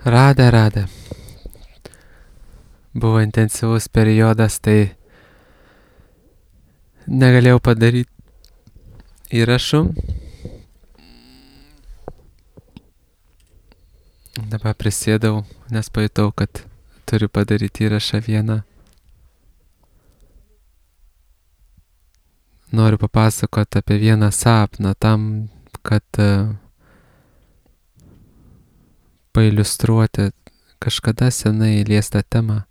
Radė. Buvo intensyvus periodas, tai negalėjau padaryti įrašų. Dabar prisėdau, nes pajutau, kad turiu padaryti įrašą vieną. Noriu papasakoti apie vieną sapną tam, kad pailiustruoti kažkada senai liestą temą,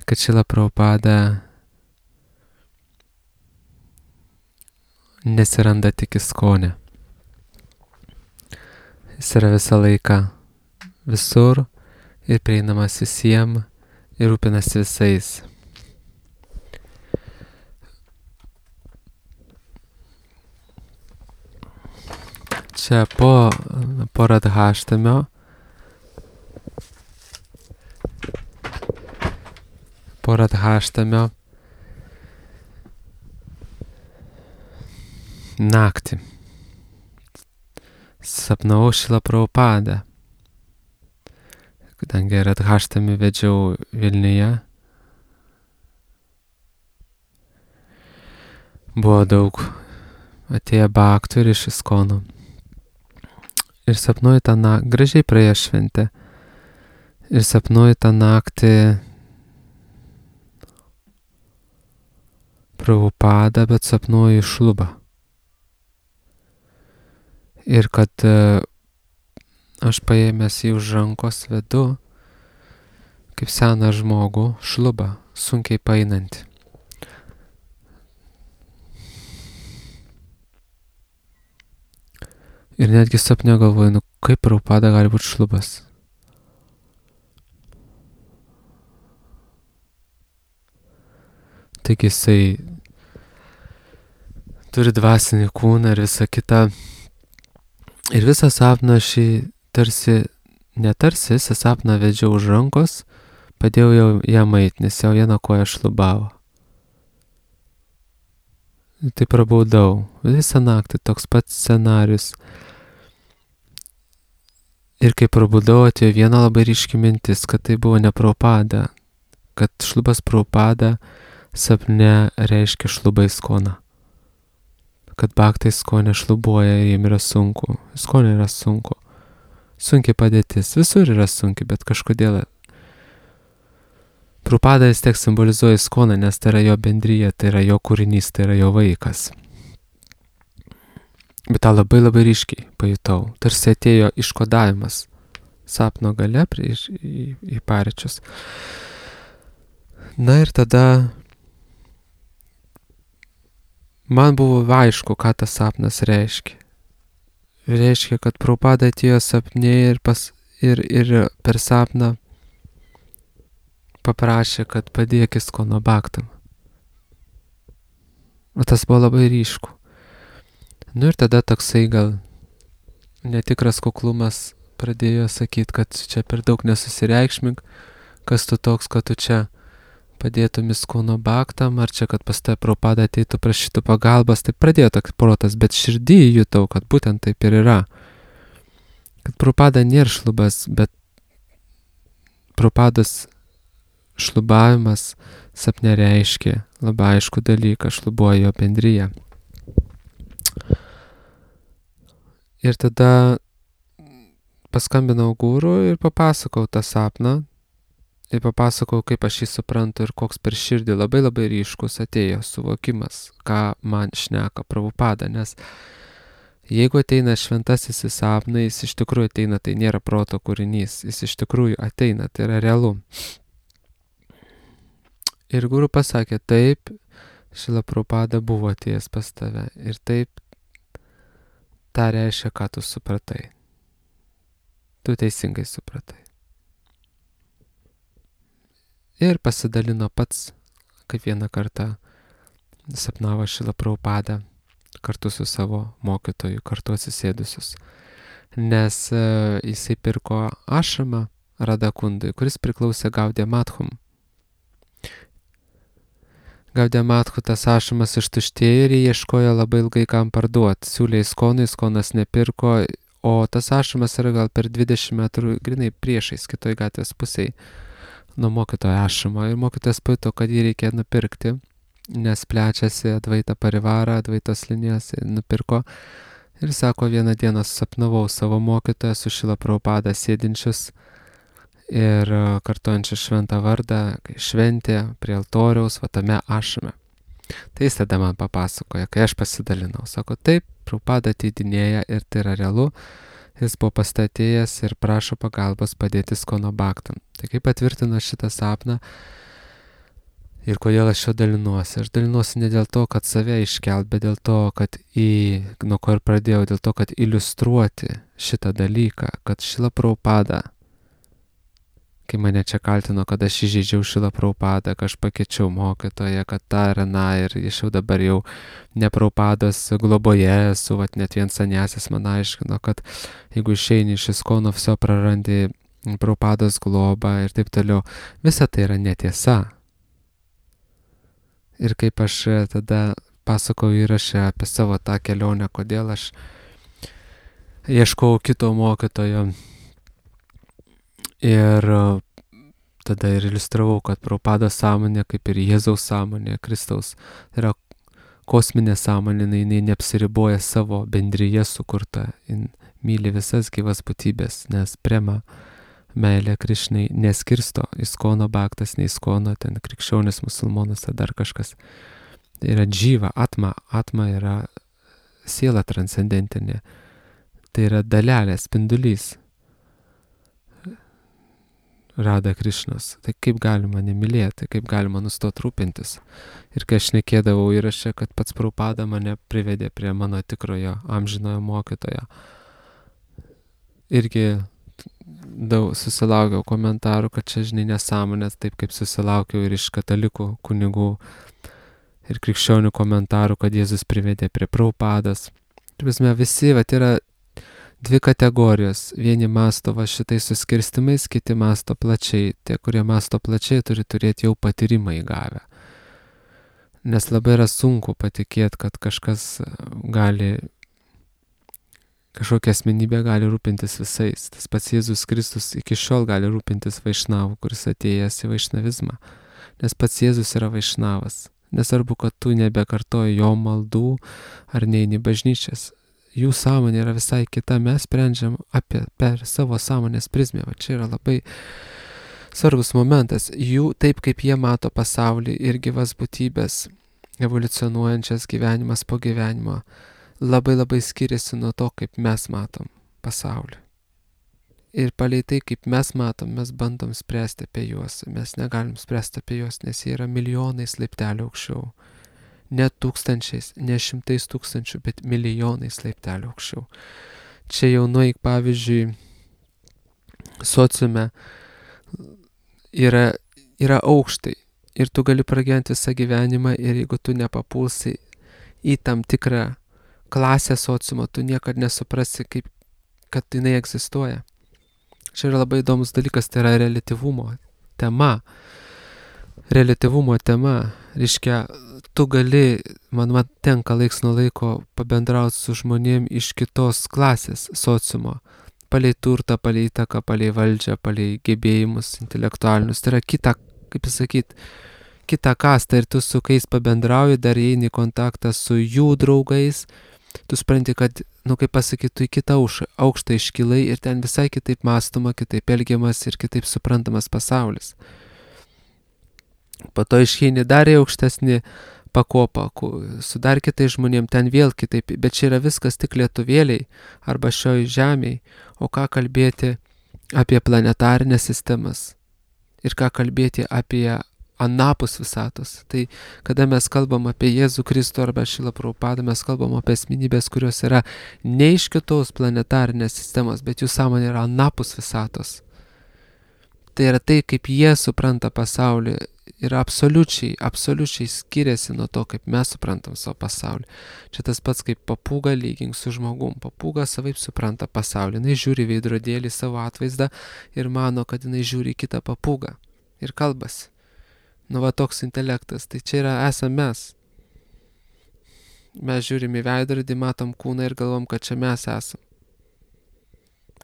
kad Šrila Prabhupada nesiranda tik ISKCONe. Jis yra visą laiką visur ir prieinamas visiems ir rūpinasi visais. Čia po Radhaštamio naktį sapnavau Šrilą Prabhupadą. Kadangi Radhaštamį vedžiau Vilniuje, buvo daug atėję bhaktų ir iš ISKCONo. Ir sapnuoju tą naktį, gražiai praėjo šventė, ir sapnuoju tą naktį Prabhupadą, bet sapnuoju Šlubą. Ir kad aš paėmęs jį už rankos vedu, kaip seną žmogų, Šlubą, sunkiai paeinantį. Ir netgi sapne galvoju, kaip Prabhupada gali būti Šlubas. Taigi jisai turi dvasinį kūną ir visą kitą. Ir visą sapną šį visą sapną vedžiau už rankos, padėjau jam eit, nes jau vieną koją šlubavo. Ir tai prabaudau. Visą naktį toks pats scenarius. Ir kai prabudau, atėjo viena labai ryški mintis, kad tai buvo ne Prabhupada, kad Šlubas Prabhupada sapne reiškia Šlubą ISKCONą. Kad bhaktai ISKCONe šlubuoja ir jiem yra sunku. ISKCONe yra sunku. Sunkiai padėtis. Visur yra sunki, bet kažkodėl. Prabhupada vis tiek simbolizuoja ISKCONą, nes tai yra jo bendryje, tai yra jo kūrinys, tai yra jo vaikas. Bet tą labai labai ryškiai pajutau. Tarsi atėjo iškodavimas sapno gale į paryčius. Na ir tada man buvo aišku, ką tas sapnas reiškia. Reiškia, kad Prabhupada atėjo sapne ir per sapną paprašė, kad padėk ISKCONo bhaktam. O tas buvo labai ryšku. Nu ir tada toksai gal netikras kuklumas pradėjo sakyti, kad čia per daug nesusireikšmink, kas tu toks, kad tu čia padėtum ISKCONo bhaktam, ar čia, kad pas tave Prabhupada ateitų prašytų pagalbos, tai pradėjo toks protas, bet širdį jutau, kad būtent taip ir yra. Kad Prabhupada nėra Šlubas, bet Prabhupados šlubavimas sapne reiškia labai aišku dalyką, šlubuoja jo bendryje. Ir tada paskambinau guru ir papasakau tą sapną. Ir papasakau, kaip aš jį suprantu ir koks per širdį labai labai ryškus atėjo suvokimas, ką man šneka Prabhupada. Nes jeigu ateina šventasis į sapną, jis iš tikrųjų ateina, tai nėra proto kūrinys. Jis iš tikrųjų ateina, tai yra realu. Ir guru pasakė, taip, Šrila Prabhupada buvo atėjęs pas tave. Ir taip, tą reiškia, ką tu supratai. Tu teisingai supratai. Ir pasidalino pats, kaip vieną kartą sapnavo Šrila Prabhupada kartu su savo mokytoju, kartu atsisėdusius. Nes jisai pirko ašramą Radakundui, kuris priklausė Gaudiya Madhum. Gaudiya Madhu tas ašramas ištuštėjo ir jie ieškojo labai ilgai kam parduoti. Siūlė ISKCONui, ISKCONas nepirko, o tas ašrumas yra gal per 20 metrų grinai priešais kitoj gatvės pusėj nuo mokytojo ašrumo. Ir mokytojas pajuto, kad jį reikia nupirkti, nes plečiasi Advaita Parivara, Advaitos linijas, nupirko. Ir sako, vieną dieną susapnavau savo mokytoją su Šrila Prabhupada sėdinčius ir kartuojančius šventą vardą, kai šventė prie altoriaus, va tame ašrume. Tai jis tada man papasakoja, kai aš pasidalinau. Sako, taip, Prabhupada ateidinėja ir tai yra realu. Jis buvo pastatėjęs ir prašo pagalbos padėti Iskono Bhaktam. Tai kaip patvirtino šitą sapną ir kodėl aš jo dalinuosi. Aš dalinuosi ne dėl to, kad save iškelt, bet dėl to, kad nuo ko ir pradėjau, dėl to, kad iliustruoti šitą dalyką, kad Šrila Prabhupada, kai mane čia kaltino, kad aš įžeidžiau Šrila Prabhupadą, kad aš pakeičiau mokytoją, kad tą ir aną, ir aš jau dabar jau ne Prabhupados globoje esu, vat net vien sanjasis man aiškino, kad jeigu išeini iš Iskono, viso prarandi Prabhupados globą ir taip toliau. Visa tai yra netiesa. Ir kaip aš tada pasakoju įrašę apie savo tą kelionę, kodėl aš ieškau kito mokytojo. Ir tada ir iliustravau, kad Prabhupados sąmonė, kaip ir Jėzaus sąmonė, Kristaus, yra kosminė sąmonė, jinai neapsiriboja savo bendryje sukurta, jin myli visas gyvas būtybės, nes prema meilė Krišnai neskirsto Iskono Bhaktas, ne Iskono, ten krikščionis, musulmonas ar dar kažkas. Tai yra džyva, atma yra siela transcendentinė, tai yra dalelė, spindulys. Rada Krišnos. Tai kaip galima nemylėti, kaip galima nustoti rūpintis. Ir kai aš šnekėdavau įraše, kad pats Prabhupada mane privedė prie mano tikrojo amžinojo mokytojo. Irgi daug susilaukiau komentarų, kad čia žinai nesąmonės, taip kaip susilaukiau ir iš katalikų kunigų ir krikščionių komentarų, kad Jėzus privedė prie Prabhupados. Turime visi, yra dvi kategorijos. Vieni masto šitais suskirstimais, kiti masto plačiai. Tie, kurie masto plačiai, turi turėti jau patyrimą įgavę. Nes labai yra sunku patikėti, kad kažkokia asmenybė gali rūpintis visais. Tas pats Jėzus Kristus iki šiol gali rūpintis vaišnavu, kuris atėjęs į vaišnavizmą. Nes pats Jėzus yra vaišnavas. Nesvarbu, kad tu nebekartoji jo maldų ar neini bažnyčias. Jų sąmonė yra visai kita, mes sprendžiam per savo sąmonės prizmę. Va čia yra labai svarbus momentas. Jų, taip kaip jie mato pasaulį ir gyvas būtybės, evoliucionuojančias gyvenimas po gyvenimo, labai labai skiriasi nuo to, kaip mes matom pasaulį. Ir palei tai, kaip mes matom, mes bandom spręsti apie juos. Mes negalim spręsti apie juos, nes jie yra milijonais laiptelių aukščiau. Ne tūkstančiais, ne šimtais tūkstančių, bet milijonais laiptelių aukščiau. Čia jau nueik, pavyzdžiui, sociume yra aukštai ir tu gali pragyventi visą gyvenimą ir jeigu tu nepapulsi į tam tikrą klasę sociumo, tu niekad nesuprasi, kad jinai egzistuoja. Čia yra labai įdomus dalykas, tai yra reliatyvumo tema. Reliatyvumo tema, reiškia, tu gali, man tenka laiks nuo laiko pabendrauti su žmonėm iš kitos klasės sociumo, palei turtą, palei įtaką, palei valdžią, palei gebėjimus intelektualinius. Tai yra kita kasta ir tu su kais pabendrauji, dar eini į kontaktą su jų draugais, tu supranti, kad, kaip pasakyti, tu į kitą aukštą iškilai ir ten visai kitaip mąstoma, kitaip elgiamas ir kitaip suprantamas pasaulis. Po to išeini dar į aukštesnį pakopą, su dar kitais žmonėm, ten vėl kitaip, bet čia yra viskas tik lietuvėliai arba šioj žemėj, o ką kalbėti apie planetarinės sistemas ir ką kalbėti apie anapus visatos. Tai kada mes kalbam apie Jėzų Kristų arba Šrila Prabhupadą, mes kalbam apie asmenybės, kurios yra ne iš kitos planetarinės sistemos, bet jų sąmonė yra anapus visatos. Tai yra tai, kaip jie supranta pasaulį, yra absoliučiai skiriasi nuo to, kaip mes suprantam savo pasaulį. Čia tas pats kaip papūga lygink su žmogum. Papūga savaip supranta pasaulį. Jinai žiūri veidrodėlį savo atvaizdą ir mano, kad jinai žiūri kitą papūgą ir kalbasi. Toks intelektas. Tai čia esame mes. Mes žiūrim į veidrodį, matom kūną ir galvom, kad čia mes esam.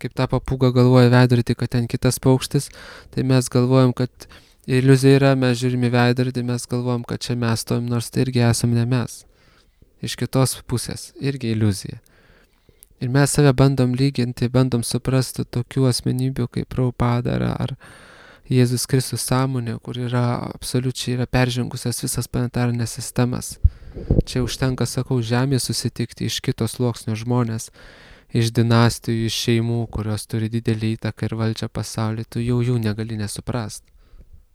kaip ta papūga galvoja veidrodį, kad ten kitas paukštis, tai mes galvojam, kad iliuzija yra, mes žiūrime veidrodį, mes galvojam, kad čia mes stovim, nors tai irgi esam ne mes. Iš kitos pusės irgi iliuzija. Ir mes save bandom lyginti, bandom suprasti tokių asmenybių kaip Prabhupada ar Jėzus Kristus sąmonė, kur absoliučiai yra peržengusias visas planetarinės sistemas. Čia užtenka, sakau, žemė susitikti iš kitos sluoksnio žmonės, iš dinastijų, iš šeimų, kurios turi didelį įtaką ir valdžią pasaulį, tu jau jų negali nesuprast.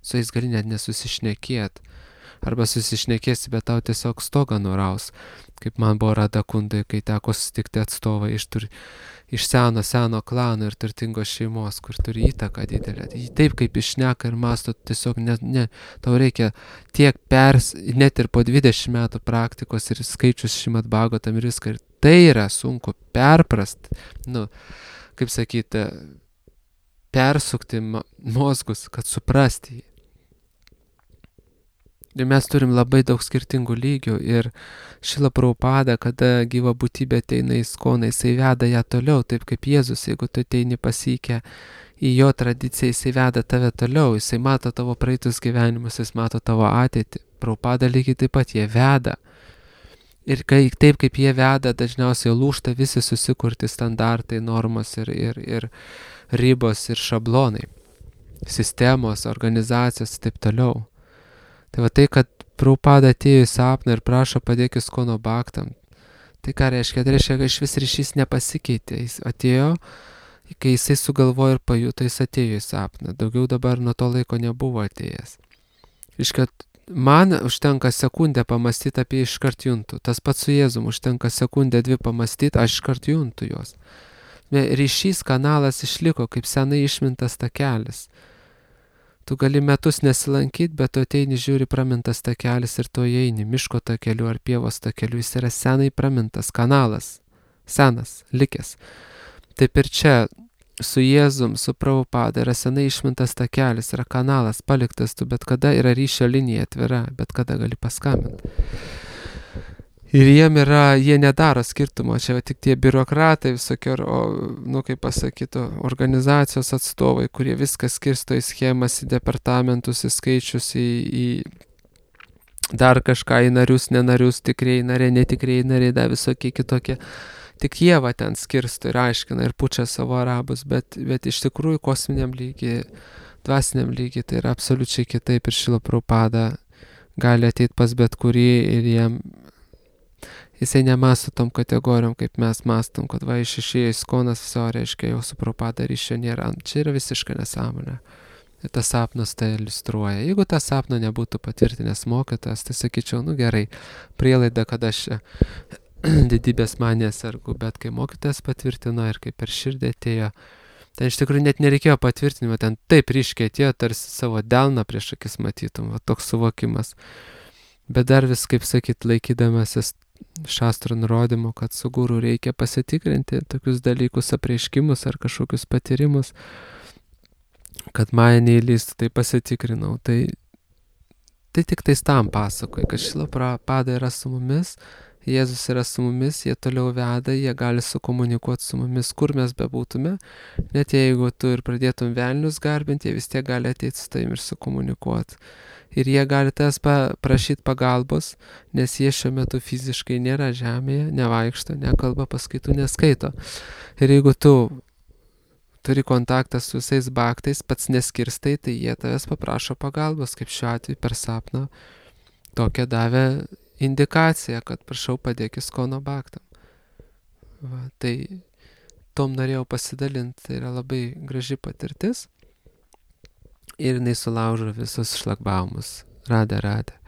Su jais gali net nesusišnekėt. Arba susišnekėsi, bet tau tiesiog stogą nuraus. Kaip man buvo Radha Kundai, kai teko susitikti atstovą iš seno klano ir turtingos šeimos, kur turi įtaką didelę. Taip kaip išneka ir masto, tiesiog tau reikia tiek net ir po 20 metų praktikos ir skaičius Šrimad Bhagavatam ir viską. Ir tai yra sunku perprast, kaip sakyti, persukti mozgus, kad suprasti jį. Ir mes turim labai daug skirtingų lygių ir Šrila Prabhupada, kada gyva būtybė ateina į Iskoną, jisai veda ją toliau, taip kaip Jėzus, jeigu tu ateini pasikę į jo tradiciją, jisai veda tave toliau, jisai mato tavo praeitus gyvenimus, jis mato tavo ateitį. Prabhupada lygiai taip pat jie veda. Ir taip kaip jie veda, dažniausiai lūžta visi susikurti standartai, normos ir ribos ir šablonai, sistemos, organizacijos ir taip toliau. Tai va tai, kad Prabhupada atėjo į sapną ir prašo padėk Iskono Bhaktam. Tai ką reiškia? Tai reiškia, kad iš vis ryšys nepasikeitė. Jis atėjo, kai jisai sugalvojo ir pajuto, jis atėjo į sapną. Daugiau dabar nuo to laiko nebuvo atėjęs. Reiškia, man užtenka sekundę pamastyti apie iškart juntų. Tas pats su Jėzum užtenka sekundę 2 pamastyti, aš iškart juntų juos. Ryšys kanalas išliko kaip senai išmintas takelis. Tu gali metus nesilankyti, bet tu ateini, žiūri, pramintas takelis ir tu eini miško takeliu ar pievos takeliu, jis yra senai pramintas kanalas, senas, likęs. Taip ir čia su Jėzum, su Prabhupada yra senai išmintas takelis, yra kanalas paliktas, tu bet kada yra ryšio linija atvira, bet kada gali paskambinti. Ir jie nedaro skirtumo, čia tik tie biurokratai visokio, kaip pasakytų, organizacijos atstovai, kurie viską skirsto į schemas, į departamentus, į skaičius, į dar kažką, į narius, nenarius, tikrieji nariai, netikrieji nariai, dar visokie kitokie. Tik jie ten skirsto ir aiškina ir pučia savo arabus, bet iš tikrųjų kosminiam lygiai, dvasiniam lygiai, tai yra absoliučiai kitaip ir Šrila Prabhupada gali ateiti pas bet kurį ir jisai nemasto tom kategorijom, kaip mes mastom, kad išėjo Iskonas, viso reiškia, jau su Prabhupada ryšio nėra. Čia yra visiška nesąmonė. Ir tas sapnas tai iliustruoja. Jeigu tą sapną nebūtų patvirtinęs mokytojas, tai sakyčiau, gerai, prielaida, kad aš didybės manė sergu, bet kai mokytojas patvirtino ir kai per širdį atėjo, ten iš tikrųjų net nereikėjo patvirtinimo, ten taip ryškiai atėjo, tarsi savo delną prieš akis matytum, toks suvokimas. Bet dar vis, kaip sakyt, laikydamasis šastrų nurodymų, kad su guru reikia pasitikrinti tokius dalykus, apreiškimus ar kažkokius patyrimus, kad mane neįlystų, tai pasitikrinau. Tai tik tais tam pasakoju, kad Šrila Prabhupada yra su mumis, Jėzus yra su mumis, jie toliau veda, jie gali sukomunikuoti su mumis, kur mes bebūtume, net jeigu tu ir pradėtum velnius garbinti, jie vis tiek gali ateiti su tavim ir sukomunikuoti. Ir jie gali tas prašyti pagalbos, nes jie šiuo metu fiziškai nėra žemėje, nevaikšto, nekalba, paskaitų neskaito. Ir jeigu tu turi kontaktą su visais bhaktais, pats neskirstai, tai jie tavęs paprašo pagalbos, kaip šiuo atveju per sapną. Tokią davė indikaciją, kad prašau padėk Iskono Bhaktam. Tai tom norėjau pasidalinti, tai yra labai graži patirtis. Ir jinai sulaužo visus šlagbaumus. Radė.